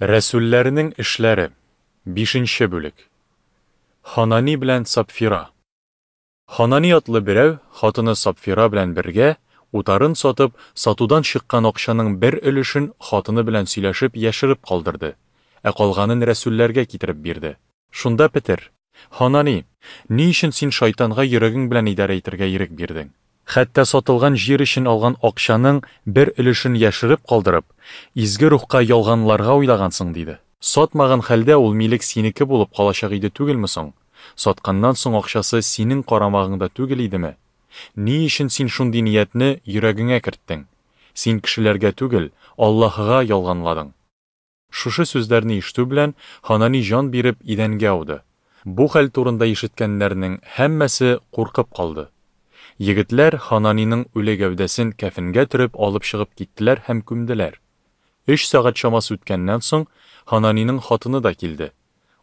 Рәсүлләрнең эшләре, бишенче бүлек. Ханани белән Сапфира. Ханани атлы берәү, хатыны Сапфира белән бергә, утарын сатып, сатудан чыккан акчаның бер өлешен хатыны белән сөйләшеп яшереп калдырды, ә калганын рәсүлләргә китереп бирде. Шунда Петер, Ханани, ни өчен син шайтанга йөрәгең белән идарә итәргә ирек бирдең? Хәтта сатылган җир өчен алган акчаның бер өлешен яшереп калдырып, Изге Рухка ялганларга уйлагансың, диде. Сатмаган хәлдә ул милек синеке булып калачак иде түгелме соң? Сатканнан соң акчасы синең карамагыңда түгел идеме? Ни өчен син шундый ниятне йөрәгеңә керттең? Син кешеләргә түгел, Аллаһыга ялганладың. Шушы сүзләрне ишетү белән, Ханани җан биреп идәнгә ауды. Бу хәл турында ишеткәннәрнең һәммәсе куркып калды. Егетләр Хананиның үле гәүдәсен кәфенгә төреп алып чыгып киттеләр һәм күмделәр. Өч сәгать чамасы үткәннән соң, Хананиның хатыны да килде.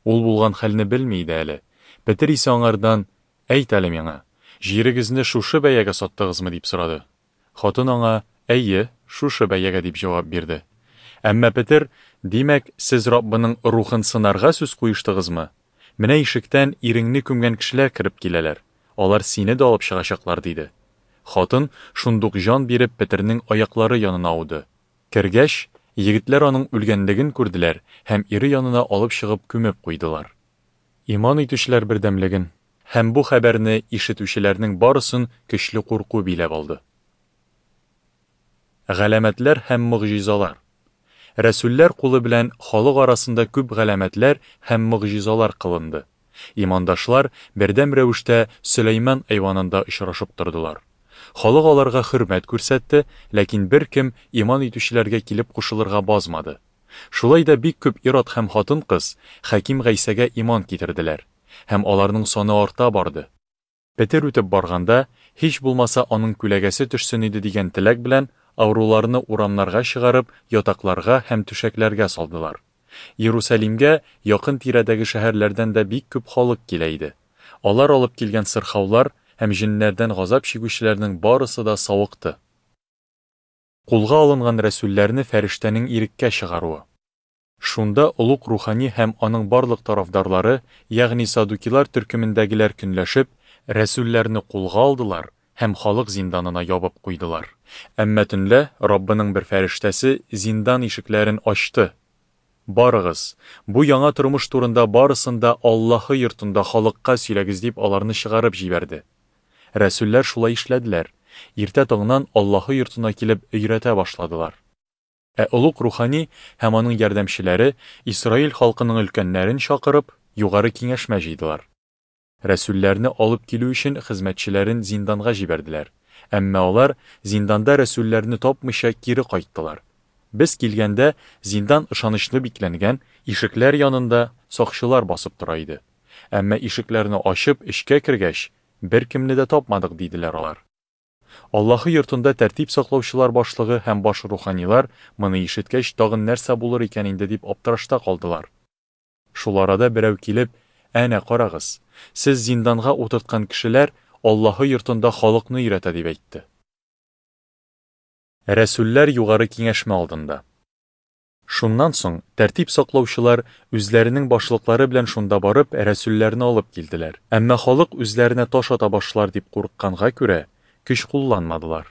Ул булган хәлне белми иде әле. Петер исә аңардан, Әйт әле миңа, җирегезне шушы бәягә саттыгызмы? дип сорады. Хатын аңа, Әйе, шушы бәягә, дип җавап бирде. Әмма Петер, Димәк, сез Раббының Рухын сынарга сүз куештыгызмы? Менә ишектән иреңне күмгән кешеләр кереп киләләр, алар сине дә алып чыгачаклар, диде. Хатын, шундук җан биреп, Петернең аяклары янына ауды. Кергәч, егетләр аның үлгәнлеген күрделәр һәм ире янына алып чыгып күмеп куйдылар. Иман итүчеләр бердәмлеген һәм бу хәбәрне ишетүчеләрнең барысын көчле курку биләп алды. Галәмәтләр һәм могҗизалар. Рәсүлләр кулы белән халык арасында күп галәмәтләр һәм могҗизалар кылынды. Имандашлар бердәм рәвештә Сөләйман әйванында очрашып тордылар. Халык аларга хөрмәт күрсәтте, ләкин беркем иман итүчеләргә килеп кушылырга базмады. Шулай да бик күп ир-ат һәм хатын-кыз Хәким Гайсәгә иман китерделәр, һәм аларның саны арта барды. Петер үтеп барганда, һич булмаса аның күләгәсе төшсен иде дигән теләк белән, авыруларны урамнарга чыгарып, ятакларга һәм түшәкләргә салдылар. Иерусалимгә якын-тирәдәге шәһәрләрдән дә бик күп халык килә иде. Алар алып килгән сырхаулар һәм җеннәрдән газап чигүчеләрнең барысы да савыкты. Кулга алынган рәсүлләрне фәрештәнең иреккә чыгаруы. Шунда олуг рухани һәм аның барлык тарафдарлары, ягъни садукилар төркемендәгеләр көнләшеп, рәсүлләрне кулга алдылар һәм халык зинданына ябып куйдылар. Әмма төнлә Раббының бер фәрештәсе зиндан ишекләрен ачты, Барыгыз, бу яңа тормыш турында барысын да Аллаһы йортында халыкка сөйләгез, дип аларны чыгарып җибәрде. Рәсүлләр шулай эшләделәр, иртә таңнан Аллаһы йортына килеп өйрәтә башладылар. Ә олуг рухани һәм аның ярдәмчеләре, Исраил халкының өлкәннәрен чакырып, югары киңәшмә җыйдылар. Рәсүлләрне алып килү өчен хезмәтчеләрен зинданга җибәрделәр. Әмма алар, зинданда рәсүлләрне тапмыйча, кире кайттылар. Без килгәндә, зиндан ышанычлы бикләнгән, ишекләр янында сакчылар басып тора иде. Әмма ишекләрне ачып, эчкә кергәч, беркемне дә тапмадык, диделәр алар. Аллаһы йортында тәртип саклаучылар башлыгы һәм баш руханилар, моны ишеткәч, тагын нәрсә булыр икән инде дип аптырашта калдылар. Шул арада берәү килеп, Әнә, карагыз, сез зинданга утырткан кешеләр Аллаһы йортында халыкны өйрәтә, дип әйтте. Рәсүлләр югары киңәшмә алдында. Шуннан соң тәртип саклаучылар үзләренең башлыклары белән шунда барып, рәсүлләрне алып килделәр. Әмма халык үзләренә таш ата башлар дип курыкканга күрә, көч кулланмадылар.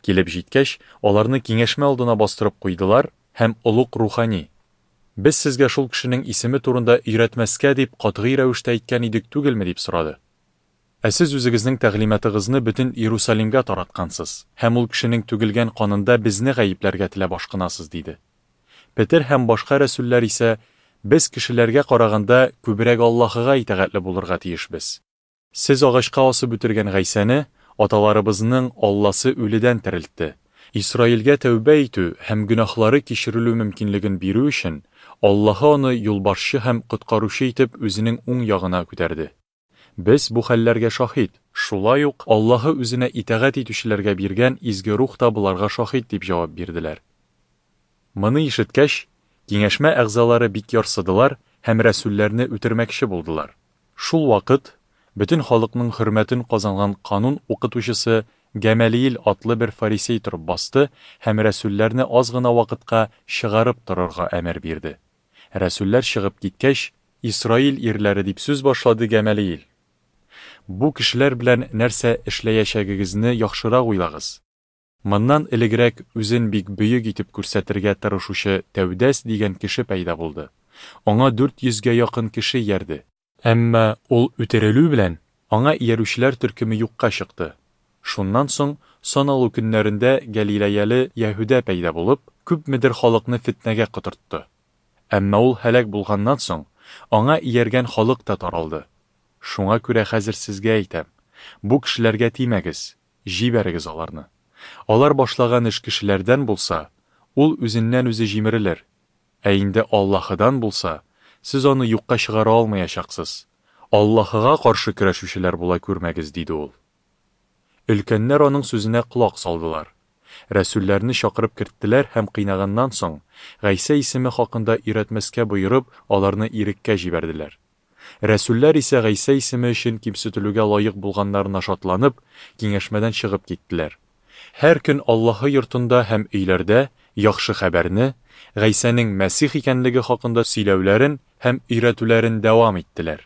Килеп җиткәч, аларны киңәшмә алдына бастырып куйдылар һәм олуг рухани, Без сезгә шул кешенең исеме турында өйрәтмәскә дип катгый рәвештә әйткән идек түгелме? дип сорады. Ә сез үзегезнең тәгълиматыгызны бөтен Иерусалимгә тараткансыз һәм ул кешенең түгелгән канында безне гаепләргә теләп ашкынасыз, диде. Петер һәм башка рәсүлләр исә, Без кешеләргә караганда күбрәк Аллаһыга итагатьле булырга тиешбез. Сез агачка асып үтергән Гайсәне аталарыбызның Алласы үледән терелтте. Исраилгә тәүбә итү һәм гөнаһлары кичерелү мөмкинлеген бирү өчен, Аллаһы аны Юлбашчы һәм Коткаручы итеп үзенең уң ягына күтәрде. Без бу хәлләргә шаһит, шулай ук Аллаһы үзенә итагать итүчеләргә биргән Изге Рух та боларга шаһит, дип җавап бирделәр. Моны ишеткәч, киңәшмә әгъзалары бик ярсыдылар һәм рәсүлләрне үтермәкче булдылар. Шул вакыт бөтен халыкның хөрмәтен казанган канун укытучысы Гәмәлиил атлы бер фарисей торып басты һәм рәсүлләрне аз гына вакытка чыгарып торырга әмер бирде. Рәсүлләр чыгып киткәч, Исраил ирләре, дип сүз башлады Гәмәлиил. Бу кешеләр белән нәрсә эшләячәгегезне яхшырак уйлагыз. Моннан элегрәк үзен бик бөек итеп күрсәтергә тырышучы Тәүдәс дигән кеше пәйда булды. Аңа 400 гә якын кеше иярде. Әмма ул үтерелү белән, аңа иярүчеләр төркеме юкка чыкты. Шуннан соң сан алу көннәрендә гәлиләяле Яһүдә пәйда булып, күпмедер халыкны фетнәгә котыртты. Әмма ул һәлак булганнан соң, аңа ияргән халык та таралды. Шуңа күрә хәзер сезгә әйтәм, бу кешеләргә тимәгез, җибәрегез аларны. Алар башлаган эш кешеләрдән булса, ул үзеннән-үзе җимерелер. Ә инде Аллаһыдан булса, сез аны юкка чыгара алмаячаксыз. Аллаһыга каршы көрәшүчеләр була күрмәгез, диде ул. Өлкәннәр аның сүзенә колак салдылар. Рәсүлләрне чакырып керттеләр һәм кыйнаганнан соң, Гайсә исеме хакында өйрәтмәскә боерып, аларны иреккә җибәрделәр. Рәсүлләр исә Гайсә исеме өчен кимсетелүгә лаек булганнарына шатланып, киңәшмәдән чыгып киттеләр. Һәр көн Аллаһы йортында һәм өйләрдә Яхшы хәбәрне, Гайсәнең Мәсих икәнлеге хакында сөйләүләрен һәм өйрәтүләрен дәвам иттеләр.